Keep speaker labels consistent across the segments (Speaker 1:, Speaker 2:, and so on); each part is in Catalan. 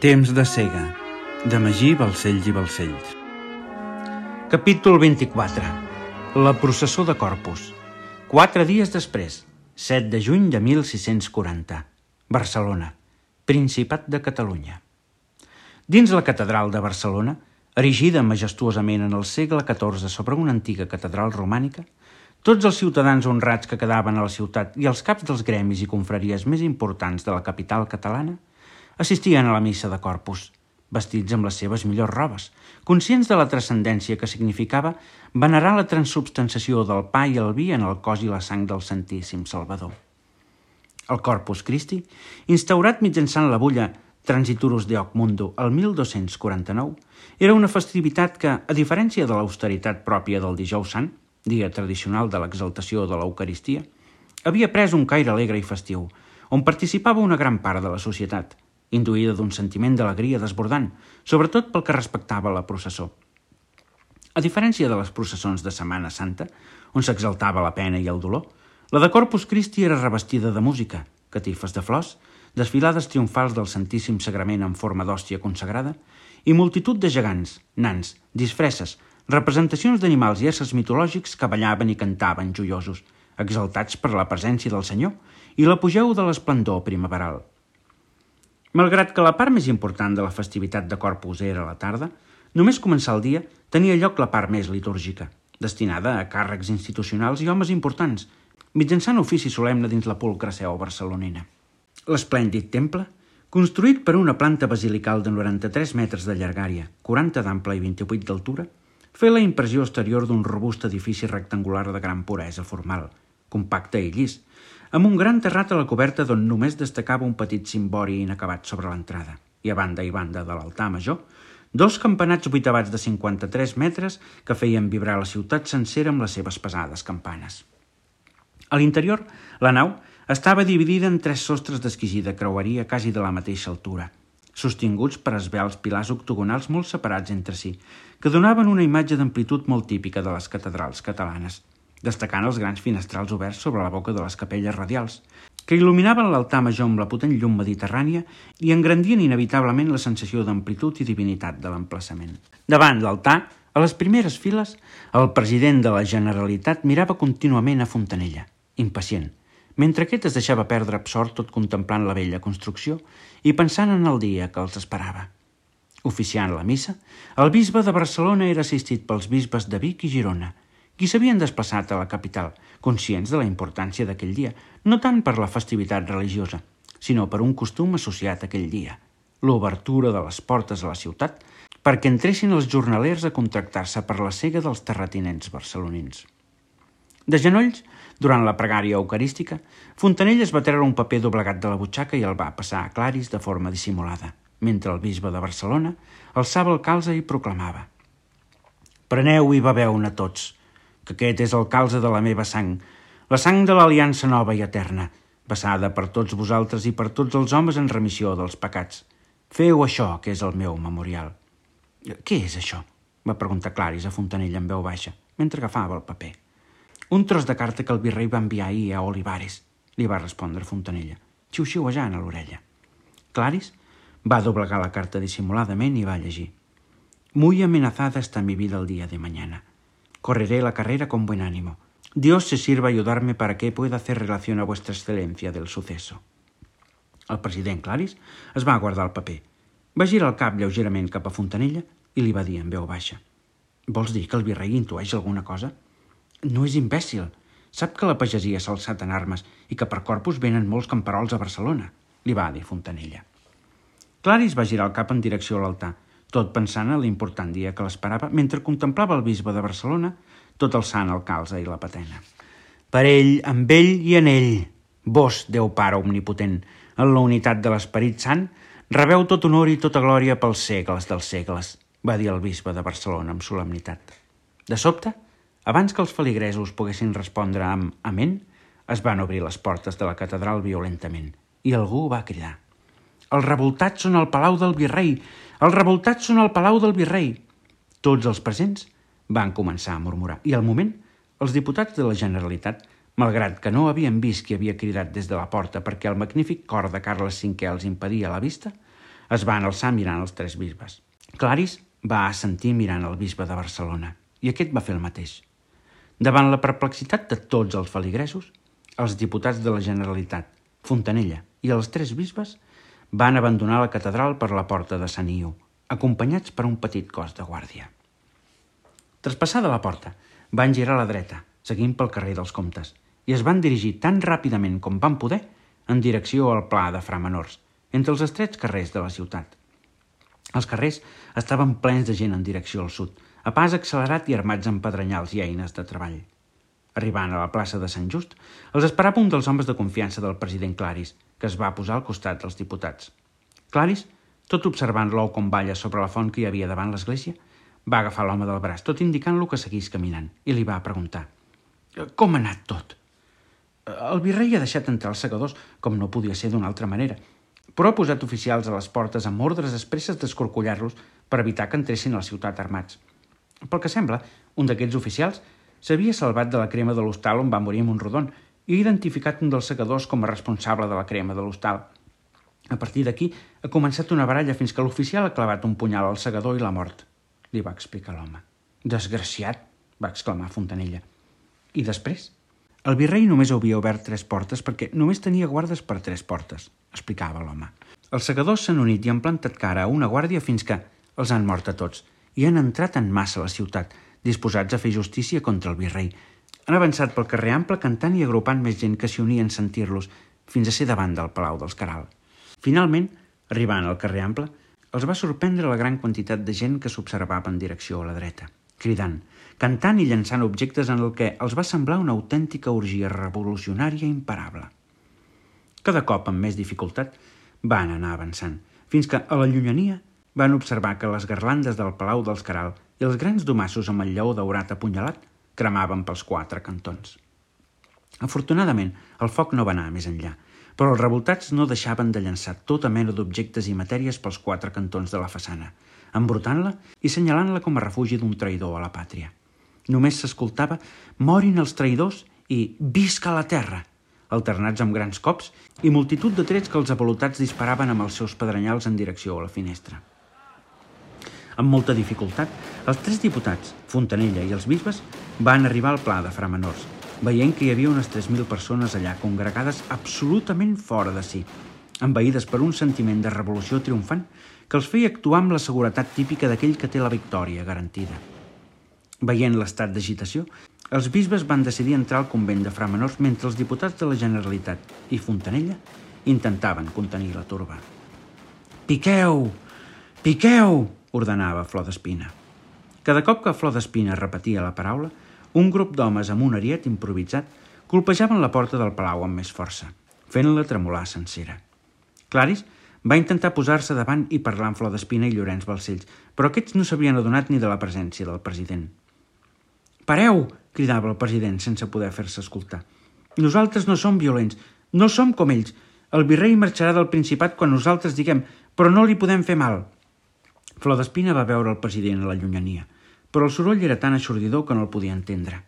Speaker 1: Temps de cega, de Magí Balcells i Balcells. Capítol 24. La processó de Corpus. 4 dies després, 7 de juny de 1640. Barcelona, Principat de Catalunya. Dins la catedral de Barcelona, erigida majestuosament en el segle XIV sobre una antiga catedral romànica, tots els ciutadans honrats que quedaven a la ciutat i els caps dels gremis i confraries més importants de la capital catalana assistien a la missa de Corpus, vestits amb les seves millors robes, conscients de la transcendència que significava venerar la transubstanciació del pa i el vi en el cos i la sang del Santíssim Salvador. El Corpus Christi, instaurat mitjançant la bulla Transiturus de Hoc Mundo el 1249, era una festivitat que, a diferència de l'austeritat pròpia del Dijous Sant, dia tradicional de l'exaltació de l'Eucaristia, havia pres un caire alegre i festiu, on participava una gran part de la societat, induïda d'un sentiment d'alegria desbordant, sobretot pel que respectava a la processó. A diferència de les processons de Setmana Santa, on s'exaltava la pena i el dolor, la de Corpus Christi era revestida de música, catifes de flors, desfilades triomfals del Santíssim Sagrament en forma d'hòstia consagrada i multitud de gegants, nans, disfresses, representacions d'animals i éssers mitològics que ballaven i cantaven joiosos, exaltats per la presència del Senyor i l'apogeu de l'esplendor primaveral. Malgrat que la part més important de la festivitat de Corpus era a la tarda, només començar el dia tenia lloc la part més litúrgica, destinada a càrrecs institucionals i homes importants, mitjançant ofici solemne dins la pulcra seu barcelonina. L'esplèndid temple, construït per una planta basilical de 93 metres de llargària, 40 d'ample i 28 d'altura, feia la impressió exterior d'un robust edifici rectangular de gran puresa formal, compacte i llis, amb un gran terrat a la coberta d'on només destacava un petit cimbori inacabat sobre l'entrada, i a banda i banda de l'altar major, 2 campanats vuitavats de 53 metres que feien vibrar la ciutat sencera amb les seves pesades campanes. A l'interior, la nau estava dividida en 3 sostres d'exquisida creueria quasi de la mateixa altura, sostinguts per esvelts pilars octogonals molt separats entre si, que donaven una imatge d'amplitud molt típica de les catedrals catalanes, destacant els grans finestrals oberts sobre la boca de les capelles radials, que il·luminaven l'altar major amb la potent llum mediterrània i engrandien inevitablement la sensació d'amplitud i divinitat de l'emplaçament. Davant l'altar, a les primeres files, el president de la Generalitat mirava contínuament a Fontanella, impacient, mentre aquest es deixava perdre absort tot contemplant la vella construcció i pensant en el dia que els esperava. Oficiant la missa, el bisbe de Barcelona era assistit pels bisbes de Vic i Girona, qui s'havien desplaçat a la capital, conscients de la importància d'aquell dia, no tant per la festivitat religiosa, sinó per un costum associat a aquell dia, l'obertura de les portes a la ciutat perquè entressin els jornalers a contractar-se per la cega dels terratinents barcelonins. De genolls, durant la pregària eucarística, Fontanella es va treure un paper doblegat de la butxaca i el va passar a Claris de forma dissimulada, mentre el bisbe de Barcelona alçava el calze i proclamava: «Preneu i beveu-ne tots, que aquest és el calze de la meva sang, la sang de l'aliança nova i eterna, vessada per tots vosaltres i per tots els homes en remissió dels pecats. Feu això, que és el meu memorial». «Què és això?», va preguntar Claris a Fontanella en veu baixa, mentre agafava el paper. «Un tros de carta que el virrei va enviar ahir a Olivares», li va respondre Fontanella, xiu-xiuejant a l'orella. Claris va doblegar la carta dissimuladament i va llegir: «Muy amenazada está mi vida el día de mañana. Correré la carrera con buen ánimo. Dios se sirva a ayudarme para que pueda hacer relación a vuestra excelencia del suceso». El president Claris es va guardar el paper, va girar el cap lleugerament cap a Fontanella i li va dir en veu baixa: «Vols dir que el virrei intueix alguna cosa? No és imbècil. Sap que la pagesia s'ha alçat en armes i que per Corpus venen molts camperols a Barcelona», li va dir Fontanella. Claris va girar el cap en direcció a l'altar, tot pensant en l'important dia que l'esperava, mentre contemplava el bisbe de Barcelona, tot alçant el calze i la patena. «Per ell, amb ell i en ell, vos, Déu Pare omnipotent, en la unitat de l'Esperit Sant, rebeu tot honor i tota glòria pels segles dels segles», va dir el bisbe de Barcelona amb solemnitat. De sobte, abans que els feligresos poguessin respondre amb «Amén», es van obrir les portes de la catedral violentament i algú va cridar: «Els revoltats són al palau del virrei! Els revoltats són al palau del virrei!» Tots els presents van començar a murmurar i al moment els diputats de la Generalitat, malgrat que no havien vist qui havia cridat des de la porta perquè el magnífic cor de Carles V els impedia la vista, Es van alçar mirant els tres bisbes. Claris va assentir mirant el bisbe de Barcelona i aquest va fer el mateix. Davant la perplexitat de tots els feligresos, els diputats de la Generalitat, Fontanella i els tres bisbes van abandonar la catedral per la porta de Sant Iu, acompanyats per un petit cos de guàrdia. Traspassada la porta, van girar a la dreta, seguint pel carrer dels Comtes, i es van dirigir tan ràpidament com van poder en direcció al Pla de Fra Menors, entre els estrets carrers de la ciutat. Els carrers estaven plens de gent en direcció al sud, a pas accelerat i armats amb pedrenyals i eines de treball. Arribant a la plaça de Sant Just, els esperava un dels homes de confiança del president Claris, que es va posar al costat dels diputats. Claris, tot observant l'ou com balla sobre la font que hi havia davant l'església, va agafar l'home del braç, tot indicant-lo que seguís caminant, i li va preguntar: «Com ha anat tot?» «El virrei ha deixat entrar els segadors, com no podia ser d'una altra manera, però ha posat oficials a les portes amb ordres expresses d'escorcollar-los per evitar que entressin a la ciutat armats. Pel que sembla, un d'aquests oficials s'havia salvat de la crema de l'hostal on va morir Montrodon i ha identificat un dels segadors com a responsable de la crema de l'hostal. A partir d'aquí ha començat una baralla fins que l'oficial ha clavat un punyal al segador i l'ha mort», li va explicar l'home. «Desgraciat!», va exclamar Fontanella. «I després?» «El virrei només havia obert 3 portes perquè només tenia guardes per 3 portes», explicava l'home. «Els segadors s'han unit i han plantat cara a una guàrdia fins que els han mort a tots i han entrat en massa a la ciutat, disposats a fer justícia contra el virrei. Han avançat pel carrer ample cantant i agrupant més gent que s'hi unia en sentir-los fins a ser davant del Palau dels Queralt. Finalment, arribant al carrer ample, els va sorprendre la gran quantitat de gent que s'observava en direcció a la dreta, cridant, cantant i llançant objectes en el que els va semblar una autèntica orgia revolucionària imparable. Cada cop amb més dificultat van anar avançant, fins que a la llunyania van observar que les garlandes del Palau dels Queralt i els grans domassos amb el lleó daurat apunyalat cremaven pels 4 cantons. Afortunadament, el foc no va anar més enllà, però els revoltats no deixaven de llançar tota mena d'objectes i matèries pels 4 cantons de la façana, embrutant-la i senyalant-la com a refugi d'un traïdor a la pàtria. Només s'escoltava «Morin els traïdors» i «Visca la terra», alternats amb grans cops i multitud de trets que els avalotats disparaven amb els seus pedrenyals en direcció a la finestra. Amb molta dificultat, els 3 diputats, Fontanella i els bisbes, van arribar al Pla de Fra Menors, veient que hi havia unes 3.000 persones allà congregades absolutament fora de si, envaïdes per un sentiment de revolució triomfant que els feia actuar amb la seguretat típica d'aquell que té la victòria garantida. Veient l'estat d'agitació, els bisbes van decidir entrar al convent de Fra Menors mentre els diputats de la Generalitat i Fontanella intentaven contenir la turba. «Piqueu! Piqueu!», ordenava Flor d'Espina. Cada cop que Flor d'Espina repetia la paraula, un grup d'homes amb un ariet improvisat colpejaven la porta del palau amb més força, fent-la tremolar sencera. Claris va intentar posar-se davant i parlar amb Flor d'Espina i Llorenç Balcells, però aquests no s'havien adonat ni de la presència del president. «Pareu!», cridava el president sense poder fer-se escoltar. «Nosaltres no som violents, no som com ells. El virrei marxarà del Principat quan nosaltres diguem, però no li podem fer mal». Flor d'Espina va veure el president a la llunyania, però el soroll era tan aixordidor que no el podia entendre.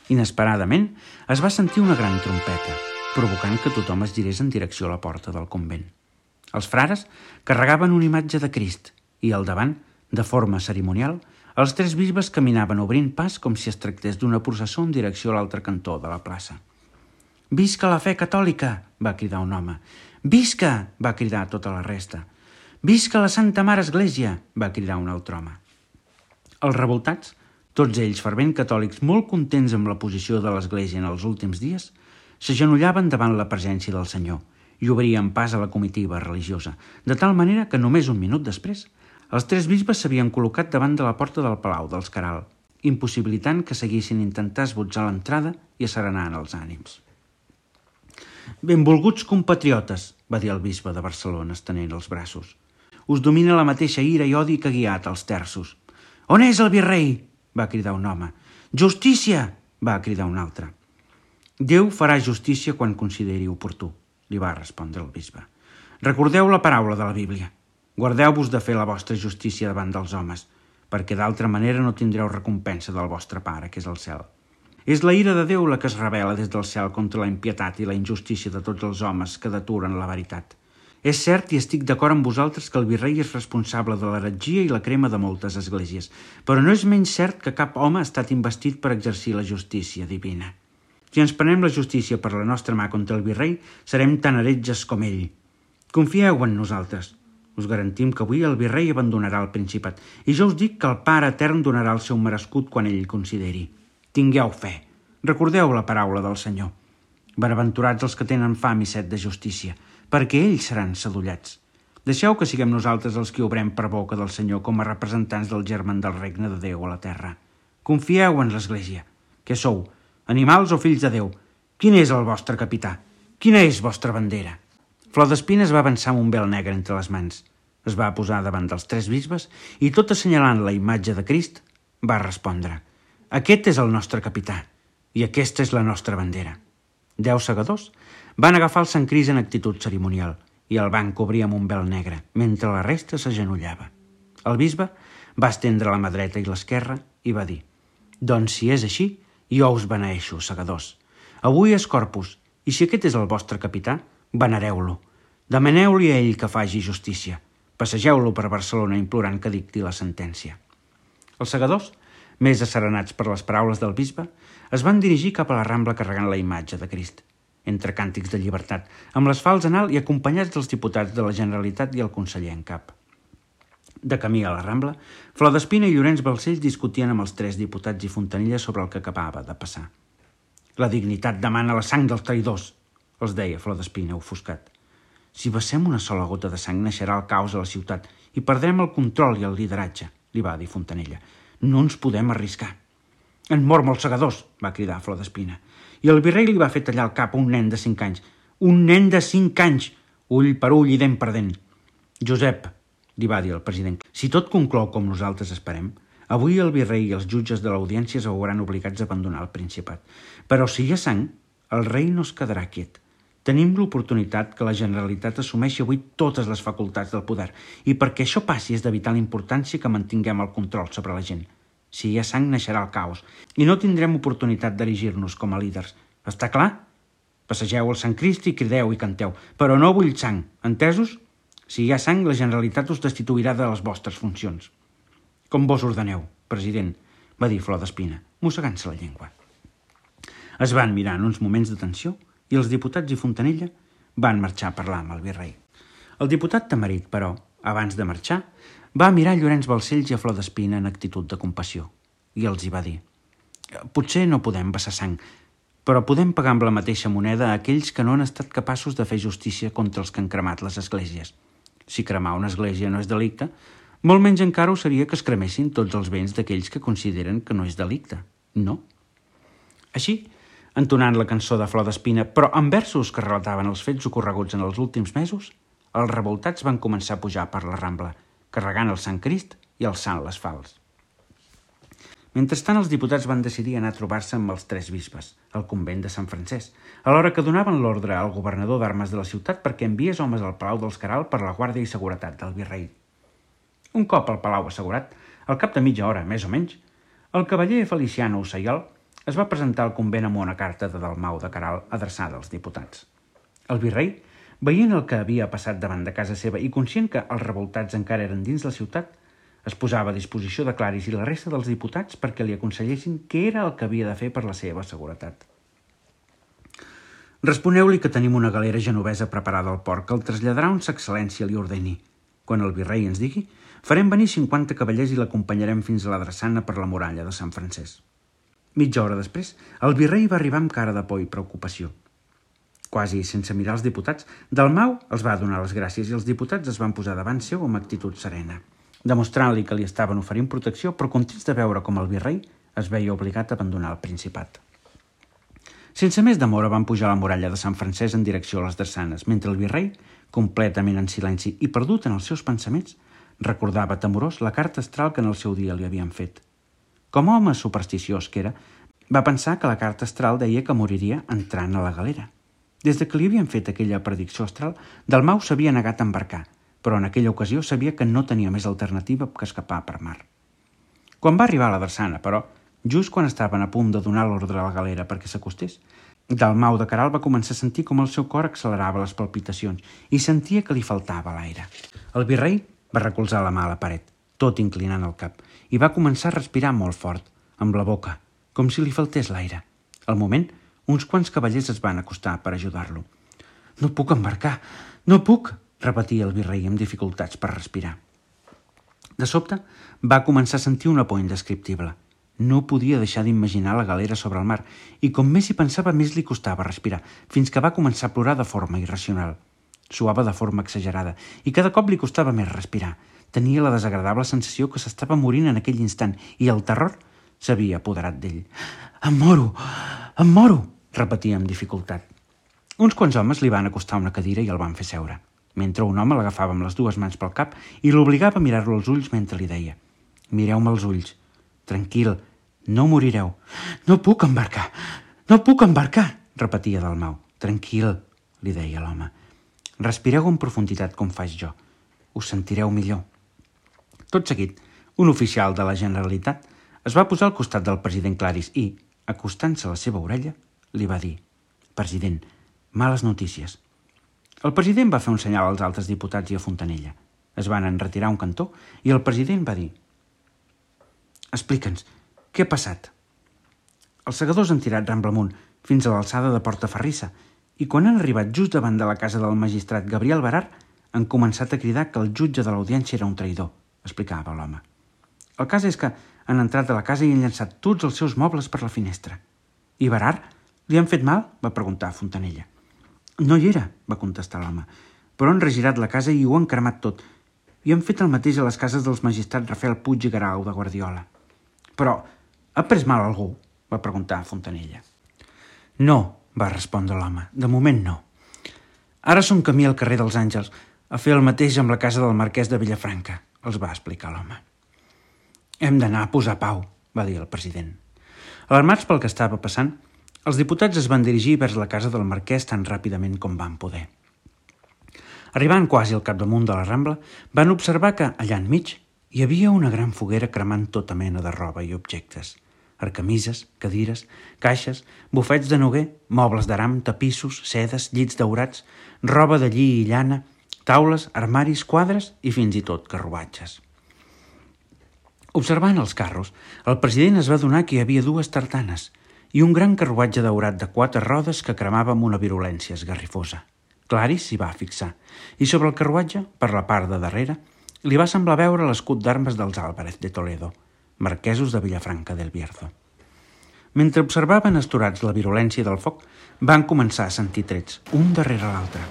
Speaker 1: Inesperadament, es va sentir una gran trompeta, provocant que tothom es girés en direcció a la porta del convent. Els frares carregaven una imatge de Crist i, al davant, de forma cerimonial, els 3 bisbes caminaven obrint pas com si es tractés d'una processó en direcció a l'altre cantó de la plaça. «Visca la fe catòlica!», va cridar un home. «Visca!», va cridar tota la resta. «Visca la Santa Mare Església!», va cridar un altre home. Els revoltats, tots ells fervent catòlics molt contents amb la posició de l'Església en els últims dies, s'agenollaven davant la presència del Senyor i obrien pas a la comitiva religiosa, de tal manera que només un minut després els 3 bisbes s'havien col·locat davant de la porta del Palau dels Queralt, impossibilitant que seguissin intentar esbotzar l'entrada i asserenant els ànims. «Benvolguts compatriotes», va dir el bisbe de Barcelona estenent els braços. «Us domina la mateixa ira i odi que ha guiat els terços». «On és el virrei?», va cridar un home. «Justícia!», va cridar un altre. «Déu farà justícia quan consideri oportú», li va respondre el bisbe. «Recordeu la paraula de la Bíblia. Guardeu-vos de fer la vostra justícia davant dels homes, perquè d'altra manera no tindreu recompensa del vostre Pare, que és al cel. És la ira de Déu la que es revela des del cel contra la impietat i la injustícia de tots els homes que deturen la veritat. És cert i estic d'acord amb vosaltres que el virrei és responsable de l'heretgia i la crema de moltes esglésies, però no és menys cert que cap home ha estat investit per exercir la justícia divina. Si ens prenem la justícia per la nostra mà contra el virrei, serem tan heretges com ell. Confieu en nosaltres. Us garantim que avui el virrei abandonarà el Principat i jo us dic que el Pare Etern donarà el seu merescut quan ell consideri. Tingueu fe. Recordeu la paraula del Senyor. Benaventurats els que tenen fam i set de justícia, perquè ells seran sadullats. Deixeu que siguem nosaltres els que obrem per boca del Senyor com a representants del germen del regne de Déu a la terra. Confieu en l'Església. Què sou? Animals o fills de Déu? Quin és el vostre capità? Quina és vostra bandera? Flor d'Espina es va avançar amb un vel negre entre les mans. Es va posar davant dels 3 bisbes i, tot assenyalant la imatge de Crist, va respondre: Aquest és el nostre capità i aquesta és la nostra bandera. 10 segadors van agafar el Sant Crist en actitud cerimonial i el van cobrir amb un vel negre, mentre la resta s'agenollava. El bisbe va estendre la mà dreta i l'esquerra i va dir: Doncs si és així, jo us beneeixo, segadors. Avui és Corpus, i si aquest és el vostre capità, venereu-lo. Demaneu-li a ell que faci justícia. Passegeu-lo per Barcelona implorant que dicti la sentència. Els segadors, més asserenats per les paraules del bisbe, es van dirigir cap a la Rambla carregant la imatge de Crist, entre càntics de llibertat, amb les falç en alt i acompanyats dels diputats de la Generalitat i el conseller en cap. De camí a la Rambla, Flor d'Espina i Llorenç Balcells discutien amb els 3 diputats i Fontanella sobre el que acabava de passar. La dignitat demana la sang dels traïdors, els deia Flor d'Espina, ofuscat. Si vessem una sola gota de sang, naixerà el caos a la ciutat i perdrem el control i el lideratge, li va dir Fontanella. No ens podem arriscar. En mort molts segadors, va cridar Flor d'Espina. I el virrei li va fer tallar el cap a un nen de 5 anys. Un nen de 5 anys! Ull per ull i dent per dent. Josep, li va dir el president, si tot conclou com nosaltres esperem, avui el virrei i els jutges de l'audiència es veuran obligats a abandonar el Principat. Però si hi ha sang, el rei no es quedarà quiet. Tenim l'oportunitat que la Generalitat assumeixi avui totes les facultats del poder i perquè això passi és de vital importància que mantinguem el control sobre la gent. Si hi ha sang, naixerà el caos i no tindrem oportunitat d'erigir-nos com a líders. Està clar? Passegeu el Sant Crist i crideu i canteu, però no vull sang, entesos? Si hi ha sang, la Generalitat us destituirà de les vostres funcions. Com vos ordeneu, president, va dir Flor d'Espina, mossegant-se la llengua. Es van mirar en uns moments de tensió i els diputats i Fontanella van marxar a parlar amb el virrei. El diputat Tamarit, però, abans de marxar, va mirar Llorenç Balcells i a Flor d'Espina en actitud de compassió i els hi va dir: potser no podem vessar sang, però podem pagar amb la mateixa moneda a aquells que no han estat capaços de fer justícia contra els que han cremat les esglésies. Si cremar una església no és delicte, molt menys encara ho seria que es cremessin tots els béns d'aquells que consideren que no és delicte, no? Així, entonant la cançó de Flor d'Espina, però amb versos que relataven els fets ocorreguts en els últims mesos, els revoltats van començar a pujar per la Rambla, carregant el Sant Crist i alçant les falç. Mentrestant, els diputats van decidir anar a trobar-se amb els 3 bisbes, al convent de Sant Francesc, alhora que donaven l'ordre al governador d'armes de la ciutat perquè enviés homes al Palau dels Queralt per la guàrdia i seguretat del virrei. Un cop al palau assegurat, al cap de mitja hora, més o menys, el cavaller Feliciano Ossaiol es va presentar al convent amb una carta de Dalmau de Queralt adreçada als diputats. El virrei, veient el que havia passat davant de casa seva i conscient que els revoltats encara eren dins la ciutat, es posava a disposició de Claris i la resta dels diputats perquè li aconsellessin què era el que havia de fer per la seva seguretat. Responeu-li que tenim una galera genovesa preparada al port que el traslladarà on sa excel·lència li ordeni. Quan el virrei ens digui, farem venir 50 cavallers i l'acompanyarem fins a la drassana per la muralla de Sant Francesc. Mitja hora després, el virrei va arribar amb cara de por i preocupació. Quasi sense mirar els diputats, Dalmau els va donar les gràcies i els diputats es van posar davant seu amb actitud serena, demostrant-li que li estaven oferint protecció, però contents de veure com el virrei es veia obligat a abandonar el Principat. Sense més demora van pujar a la muralla de Sant Francesc en direcció a les drassanes, mentre el virrei, completament en silenci i perdut en els seus pensaments, recordava temorós la carta astral que en el seu dia li havien fet. Com a home supersticiós que era, va pensar que la carta astral deia que moriria entrant a la galera. Des de que li havien fet aquella predicció astral, Dalmau s'havia negat a embarcar, però en aquella ocasió sabia que no tenia més alternativa que escapar per mar. Quan va arribar a la drassana, però, just quan estaven a punt de donar l'ordre a la galera perquè s'acostés, Dalmau de Queralt va començar a sentir com el seu cor accelerava les palpitacions i sentia que li faltava l'aire. El virrei va recolzar la mà a la paret, tot inclinant el cap, i va començar a respirar molt fort, amb la boca, com si li faltés l'aire. Al moment, uns quants cavallers es van acostar per ajudar-lo. «No puc embarcar, no puc!», repetia el virrei amb dificultats per respirar. De sobte, va començar a sentir una por indescriptible. No podia deixar d'imaginar la galera sobre el mar i com més hi pensava més li costava respirar, fins que va començar a plorar de forma irracional. Suava de forma exagerada i cada cop li costava més respirar. Tenia la desagradable sensació que s'estava morint en aquell instant i el terror s'havia apoderat d'ell. Em moro!», repetia amb dificultat. Uns quants homes li van acostar una cadira i el van fer seure, mentre un home l'agafava amb les dues mans pel cap i l'obligava a mirar-lo als ulls mentre li deia: «Mireu-me els ulls. Tranquil, no morireu». «No puc embarcar, repetia Dalmau. «Tranquil», li deia l'home. «Respireu en profunditat com faig jo. Us sentireu millor». Tot seguit, un oficial de la Generalitat es va posar al costat del president Claris i, acostant-se a la seva orella, li va dir: «President, males notícies». El president va fer un senyal als altres diputats i a Fontanella. Es van enretirar a un cantó i el president va dir: «Explica'ns, què ha passat?» Els segadors han tirat ramble amunt fins a l'alçada de Portaferrissa i quan han arribat just davant de la casa del magistrat Gabriel Barar han començat a cridar que el jutge de l'audiència era un traïdor, explicava l'home. El cas és que han entrat a la casa i han llançat tots els seus mobles per la finestra. «I Barar? Li han fet mal?», va preguntar Fontanella. «No hi era», va contestar l'home, «però han regirat la casa i ho han cremat tot. I han fet el mateix a les cases dels magistrats Rafael Puig i Garau de Guardiola». «Però ha pres mal algú?», va preguntar Fontanella. «No», va respondre l'home, «de moment no. Ara som camí al carrer dels Àngels a fer el mateix amb la casa del marquès de Vilafranca», els va explicar l'home. «Hem d'anar a posar pau», va dir el president. Alarmats pel que estava passant, els diputats es van dirigir vers la casa del marquès tan ràpidament com van poder. Arribant quasi al capdamunt de la Rambla, van observar que, allà enmig, hi havia una gran foguera cremant tota mena de roba i objectes. Arcamises, cadires, caixes, bufets de noguer, mobles d'aram, tapissos, sedes, llits daurats, roba de lli i llana, taules, armaris, quadres i fins i tot carruatges. Observant els carros, el president es va adonar que hi havia dues tartanes i un gran carruatge daurat de 4 rodes que cremava amb una virulència esgarrifosa. Claris s'hi va fixar i sobre el carruatge, per la part de darrere, li va semblar veure l'escut d'armes dels Álvarez de Toledo, marquesos de Vilafranca del Bierzo. Mentre observaven astorats la virulència del foc, van començar a sentir trets, un darrere l'altre.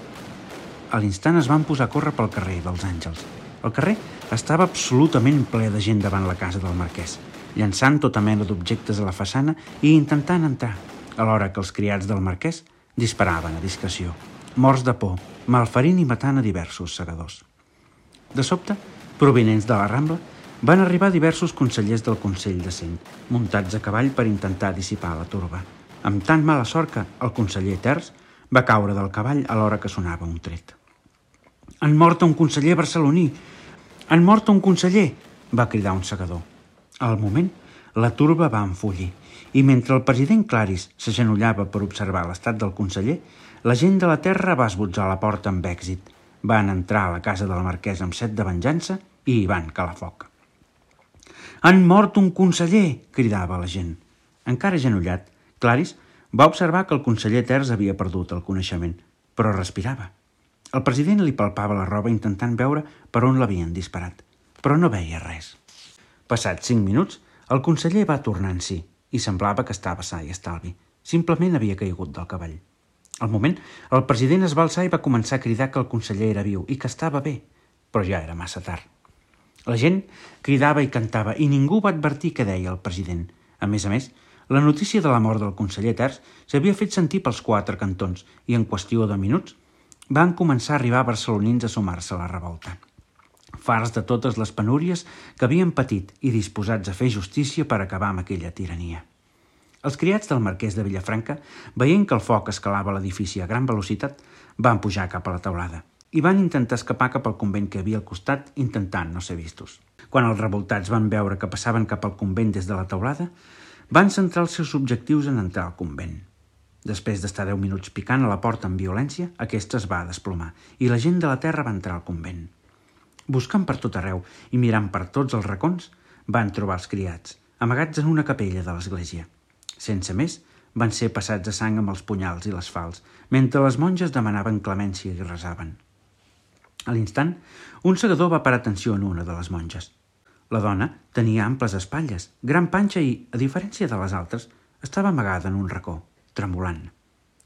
Speaker 1: A l'instant es van posar a córrer pel carrer dels Àngels. El carrer estava absolutament ple de gent davant la casa del marquès, llançant tota mena d'objectes a la façana i intentant entrar, alhora que els criats del marquès disparaven a discreció, morts de por, malferint i matant a diversos segadors. De sobte, provinents de la Rambla, van arribar diversos consellers del Consell de Cent, muntats a cavall per intentar dissipar la turba, amb tan mala sort que el conseller Terç va caure del cavall a l'hora que sonava un tret. «Han mort un conseller barceloní! Han mort un conseller!», va cridar un segador. Al moment, la turba va enfullir i mentre el president Claris s'agenollava per observar l'estat del conseller, la gent de la terra va esbotzar la porta amb èxit. Van entrar a la casa del marquès amb set de venjança i hi van calar foc. «Han mort un conseller!», cridava la gent. Encara agenollat, Claris va observar que el conseller Terç havia perdut el coneixement, però respirava. El president li palpava la roba intentant veure per on l'havien disparat, però no veia res. Passats 5 minuts, el conseller va tornar en si i semblava que estava sa i estalvi. Simplement havia caigut del cavall. Al moment, el president es va alçar i va començar a cridar que el conseller era viu i que estava bé, però ja era massa tard. La gent cridava i cantava i ningú va advertir què deia el president. A més, la notícia de la mort del conseller Terç s'havia fet sentir pels 4 cantons i en qüestió de minuts van començar a arribar barcelonins a sumar-se a la revolta. Farts de totes les penúries que havien patit i disposats a fer justícia per acabar amb aquella tirania. Els criats del marquès de Vilafranca, veient que el foc escalava l'edifici a gran velocitat, van pujar cap a la teulada i van intentar escapar cap al convent que havia al costat, intentant no ser vistos. Quan els revoltats van veure que passaven cap al convent des de la teulada, van centrar els seus objectius en entrar al convent. Després d'estar 10 minuts picant a la porta amb violència, aquesta es va desplomar i la gent de la terra va entrar al convent. Buscant per tot arreu i mirant per tots els racons, van trobar els criats, amagats en una capella de l'església. Sense més, van ser passats a sang amb els punyals i les fals, mentre les monges demanaven clemència i resaven. A l'instant, un segador va parar atenció en una de les monges. La dona tenia amples espatlles, gran panxa i, a diferència de les altres, estava amagada en un racó, tremolant.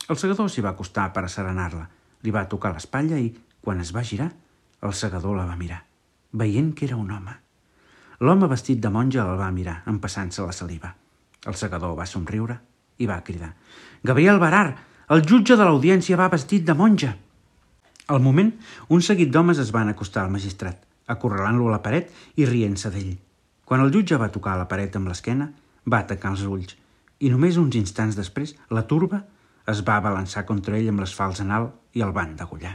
Speaker 1: El segador s'hi va acostar per asserenar-la, li va tocar l'espatlla i, quan es va girar, el segador la va mirar, veient que era un home. L'home vestit de monja el va mirar, empassant-se la saliva. El segador va somriure i va cridar: «Gabriel Barar, el jutge de l'audiència va vestit de monja!» Al moment, un seguit d'homes es van acostar al magistrat, acorralant-lo a la paret i rient-se d'ell. Quan el jutge va tocar la paret amb l'esquena, va tancar els ulls i només uns instants després la turba es va abalançar contra ell amb les fals en alt i el van degollar.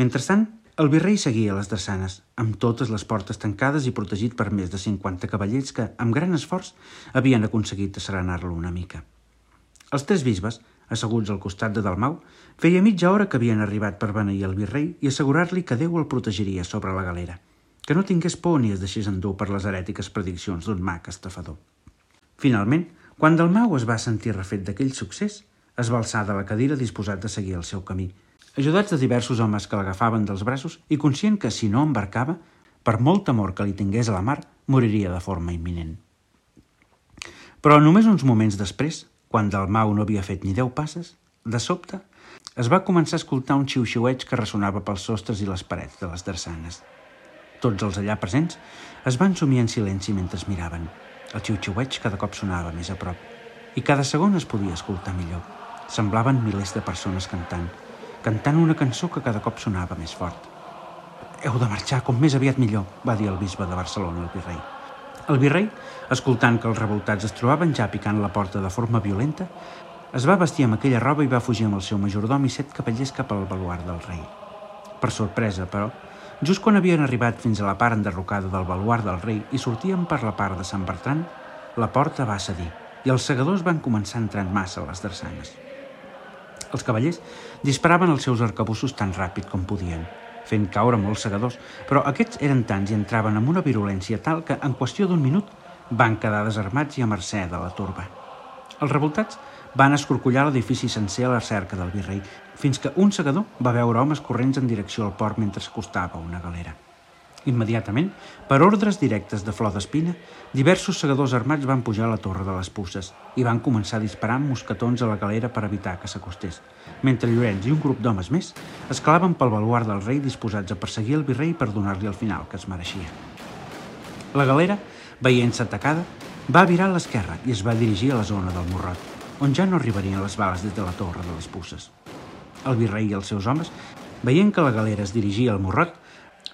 Speaker 1: Mentrestant, el virrei seguia a les drassanes, amb totes les portes tancades i protegit per més de 50 cavallers que, amb gran esforç, havien aconseguit asserenar-lo una mica. Els tres bisbes, asseguts al costat de Dalmau, feia mitja hora que havien arribat per beneir el virrei i assegurar-li que Déu el protegiria sobre la galera, que no tingués por ni es deixés endur per les herètiques prediccions d'un mag estafador. Finalment, quan Dalmau es va sentir refet d'aquell succés, es va alçar de la cadira disposat a seguir el seu camí, ajudats de diversos homes que l'agafaven dels braços i conscient que, si no embarcava, per molt temor que li tingués a la mar, moriria de forma imminent. Però només uns moments després, quan Dalmau no havia fet ni 10 passes, de sobte es va començar a escoltar un xiu-xiueig que ressonava pels sostres i les parets de les drassanes. Tots els allà presents es van sumir en silenci mentre es miraven. El xiu-xiueig cada cop sonava més a prop i cada segon es podia escoltar millor. Semblaven milers de persones cantant una cançó que cada cop sonava més fort. «Heu de marxar com més aviat millor», va dir el bisbe de Barcelona al virrei. El virrei, escoltant que els revoltats es trobaven ja picant la porta de forma violenta, es va vestir amb aquella roba i va fugir amb el seu majordom i 7 cavallers cap al baluard del rei. Per sorpresa, però, just quan havien arribat fins a la part enderrocada del baluard del rei i sortien per la part de Sant Bertran, la porta va cedir i els segadors van començar a entrar en massa a les drassanes. Els cavallers disparaven els seus arcabussos tan ràpid com podien, fent caure molts segadors, però aquests eren tants i entraven amb una virulència tal que, en qüestió d'un minut, van quedar desarmats i a mercè de la turba. Els revoltats van escorcollar l'edifici sencer a la cerca del virrei, fins que un segador va veure homes corrents en direcció al port mentre s'acostava una galera. Immediatament, per ordres directes de Flor d'Espina, diversos segadors armats van pujar a la torre de les Puces i van començar a disparar amb mosquetons a la galera per evitar que s'acostés, mentre Llorenç i un grup d'homes més escalaven pel baluard del rei disposats a perseguir el virrei per donar-li el final que es mereixia. La galera, veient-se atacada, va virar a l'esquerra i es va dirigir a la zona del Morrot, on ja no arribarien les bales des de la torre de les Puces. El virrei i els seus homes, veient que la galera es dirigia al Morrot,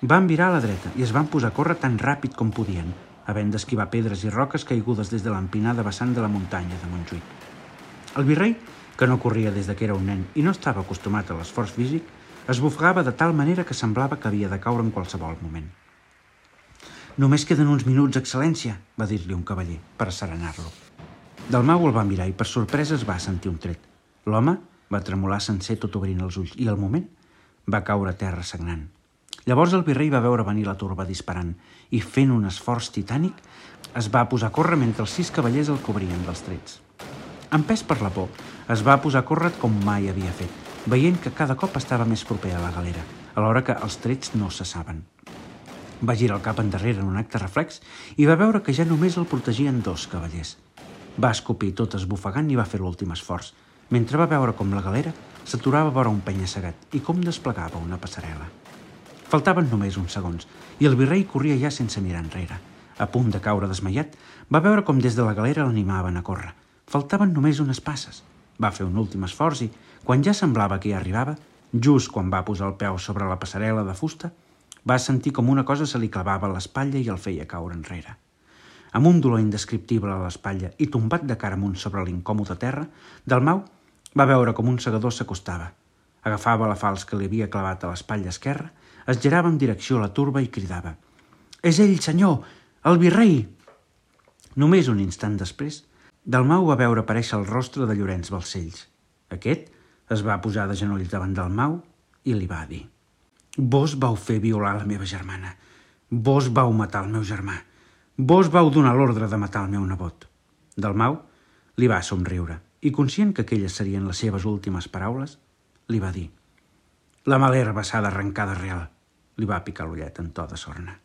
Speaker 1: van virar a la dreta i es van posar a córrer tan ràpid com podien, havent d'esquivar pedres i roques caigudes des de l'empinada vessant de la muntanya de Montjuïc. El virrei, que no corria des que era un nen i no estava acostumat a l'esforç físic, es bufegava de tal manera que semblava que havia de caure en qualsevol moment. «Només queden uns minuts, excel·lència», va dir-li un cavaller, per asserenar-lo. Dalmau el va mirar i per sorpresa es va sentir un tret. L'home va tremolar sencer tot obrint els ulls i, al moment, va caure a terra sagnant. Llavors el virrei va veure venir la turba disparant i, fent un esforç titànic, es va posar a córrer mentre els 6 cavallers el cobrien dels trets. Empès per la por, es va posar a córrer com mai havia fet, veient que cada cop estava més proper a la galera, alhora que els trets no cessaven. Va girar el cap endarrere en un acte reflex i va veure que ja només el protegien 2 cavallers. Va escopir tot esbufegant i va fer l'últim esforç, mentre va veure com la galera s'aturava vora un penya-segat i com desplegava una passarel·la. Faltaven només uns segons i el virrei corria ja sense mirar enrere. A punt de caure desmaiat, va veure com des de la galera l'animaven a córrer. Faltaven només unes passes. Va fer un últim esforç i, quan ja semblava que hi arribava, just quan va posar el peu sobre la passarel·la de fusta, va sentir com una cosa se li clavava a l'espatlla i el feia caure enrere. Amb un dolor indescriptible a l'espatlla i tombat de cara amunt sobre l'incòmode terra, Dalmau va veure com un segador s'acostava. Agafava la falç que li havia clavat a l'espatlla esquerra, es girava en direcció a la turba i cridava: «És ell, senyor! El virrei!» Només un instant després, Dalmau va veure aparèixer el rostre de Llorenç Balcells. Aquest es va posar de genolls davant del Mau i li va dir: «Vos vau fer violar la meva germana. Vos vau matar el meu germà. Vos vau donar l'ordre de matar el meu nebot». Dalmau li va somriure i, conscient que aquelles serien les seves últimes paraules, li va dir: «La mala herba s'ha d'arrencar d'arrel». Li va picar l'ullet en to de sorna.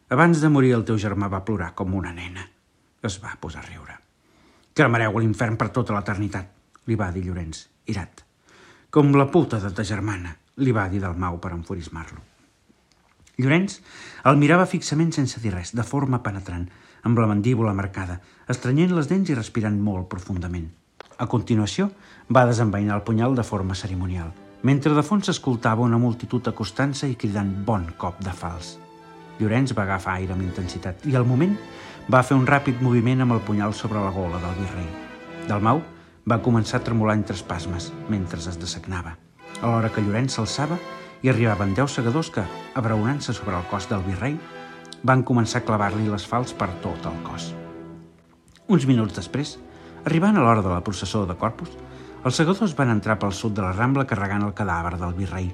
Speaker 1: «Abans de morir el teu germà va plorar com una nena». Es va posar a riure. «Cremareu a l'infern per tota l'eternitat», li va dir Llorenç, irat. «Com la puta de ta germana», li va dir Dalmau per enfurismar-lo. Llorenç el mirava fixament sense dir res, de forma penetrant, amb la mandíbula marcada, estrenyent les dents i respirant molt profundament. A continuació, va desenvainar el punyal de forma cerimonial, mentre de fons s'escoltava una multitud acostant-se i cridant «bon cop de fals». Llorenç va agafar aire amb intensitat i, al moment, va fer un ràpid moviment amb el punyal sobre la gola del virrei. Dalmau va començar a tremolar entre espasmes, mentre es dessagnava, alhora que Llorenç s'alçava i arribaven 10 segadors que, abraonant-se sobre el cos del virrei, van començar a clavar-li les falç per tot el cos. Uns minuts després, arribant a l'hora de la processó de Corpus, els segadors van entrar pel sud de la Rambla carregant el cadàver del virrei,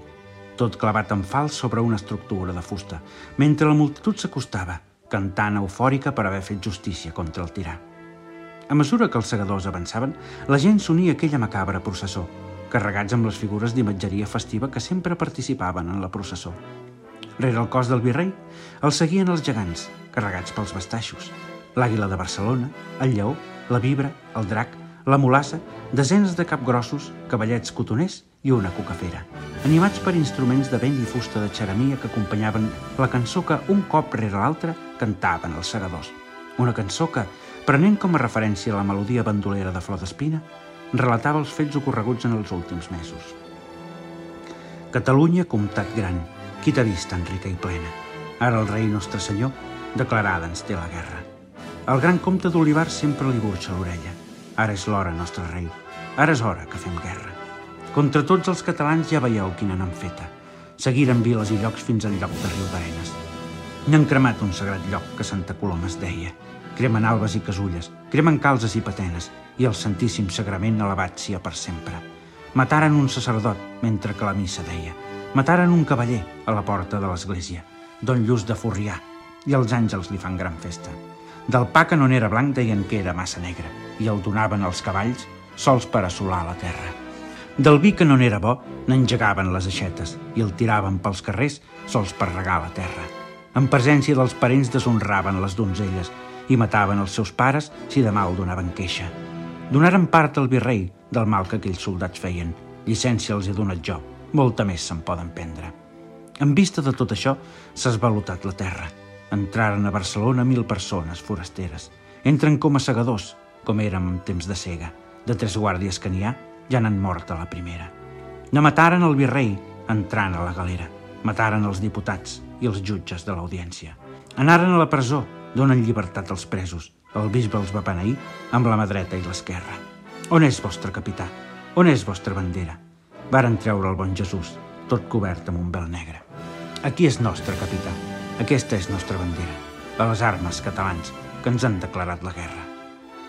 Speaker 1: tot clavat en falç sobre una estructura de fusta, mentre la multitud s'acostava, cantant eufòrica per haver fet justícia contra el tirà. A mesura que els segadors avançaven, la gent s'unia a aquella macabra processó, carregats amb les figures d'imatgeria festiva que sempre participaven en la processó. Rere el cos del virrei els seguien els gegants, carregats pels bastaixos, l'àguila de Barcelona, el lleó, la vibra, el drac, la mulassa, desenes de capgrossos, cavallets cotoners i una cucafera, animats per instruments de vent i fusta de xeramia que acompanyaven la cançó que, un cop rere l'altre, cantaven els segadors. Una cançó que, prenent com a referència la melodia bandolera de Flor d'Espina, relatava els fets ocorreguts en els últims mesos. Catalunya, comtat gran, qui t'ha vist tan rica i plena? Ara el rei nostre senyor declarada ens té la guerra. El gran comte d'Olivar sempre li burxa l'orella. Ara és l'hora, nostre rei. Ara és hora que fem guerra. Contra tots els catalans ja veieu quina n'han feta. Seguiren viles i llocs fins al lloc de Riudarenes. N'han cremat un sagrat lloc que Santa Coloma es deia. Cremen albes i casulles, cremen calzes i patenes, i el Santíssim Sagrament elevat sia per sempre. Mataren un sacerdot mentre que la missa deia. Mataren un cavaller a la porta de l'església, Don Lluç de Forrià, i els àngels li fan gran festa. Del pa que no n'era blanc deien que era massa negre, i el donaven als cavalls sols per assolar la terra. Del vi que no n'era bo n'engegaven les aixetes i el tiraven pels carrers sols per regar la terra. En presència dels parents deshonraven les donzelles i mataven els seus pares si de mal donaven queixa. Donaren part al virrei del mal que aquells soldats feien. Llicència els he donat jo, molta més se'n poden prendre. En vista de tot això, s'ha esvalotat la terra. Entraren a Barcelona 1.000 persones forasteres. Entren com a segadors, com érem en temps de cega. De 3 guàrdies que n'hi ha, ja n'han mort a la primera. Ne mataren el virrei entrant a la galera. Mataren els diputats i els jutges de l'audiència. Anaren a la presó, donen llibertat als presos. El bisbe els va beneir amb la mà dreta i l'esquerra. On és vostre capità? On és vostra bandera? Varen treure el bon Jesús, tot cobert amb un vel negre. Aquí és nostre capità. Aquesta és nostra bandera. A les armes, catalans, que ens han declarat la guerra.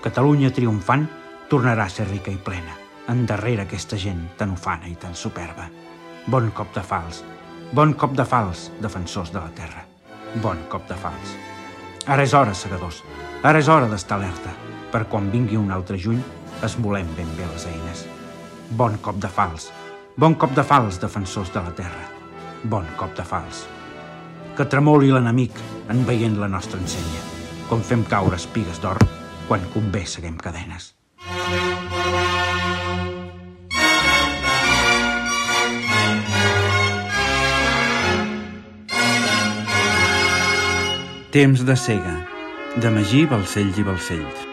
Speaker 1: Catalunya triomfant tornarà a ser rica i plena. Endarrere aquesta gent tan ufana i tan superba. Bon cop de fals. Bon cop de fals, defensors de la terra. Bon cop de fals. Ara és hora, segadors. Ara és hora d'estar alerta, per quan vingui un altre juny esmolem ben bé les eines. Bon cop de fals. Bon cop de fals, defensors de la terra. Bon cop de fals. Que tremoli l'enemic en veient la nostra ensenya, com fem caure espigues d'or quan convé seguem cadenes. Temps de cega, de Magí Balcells i Balcells.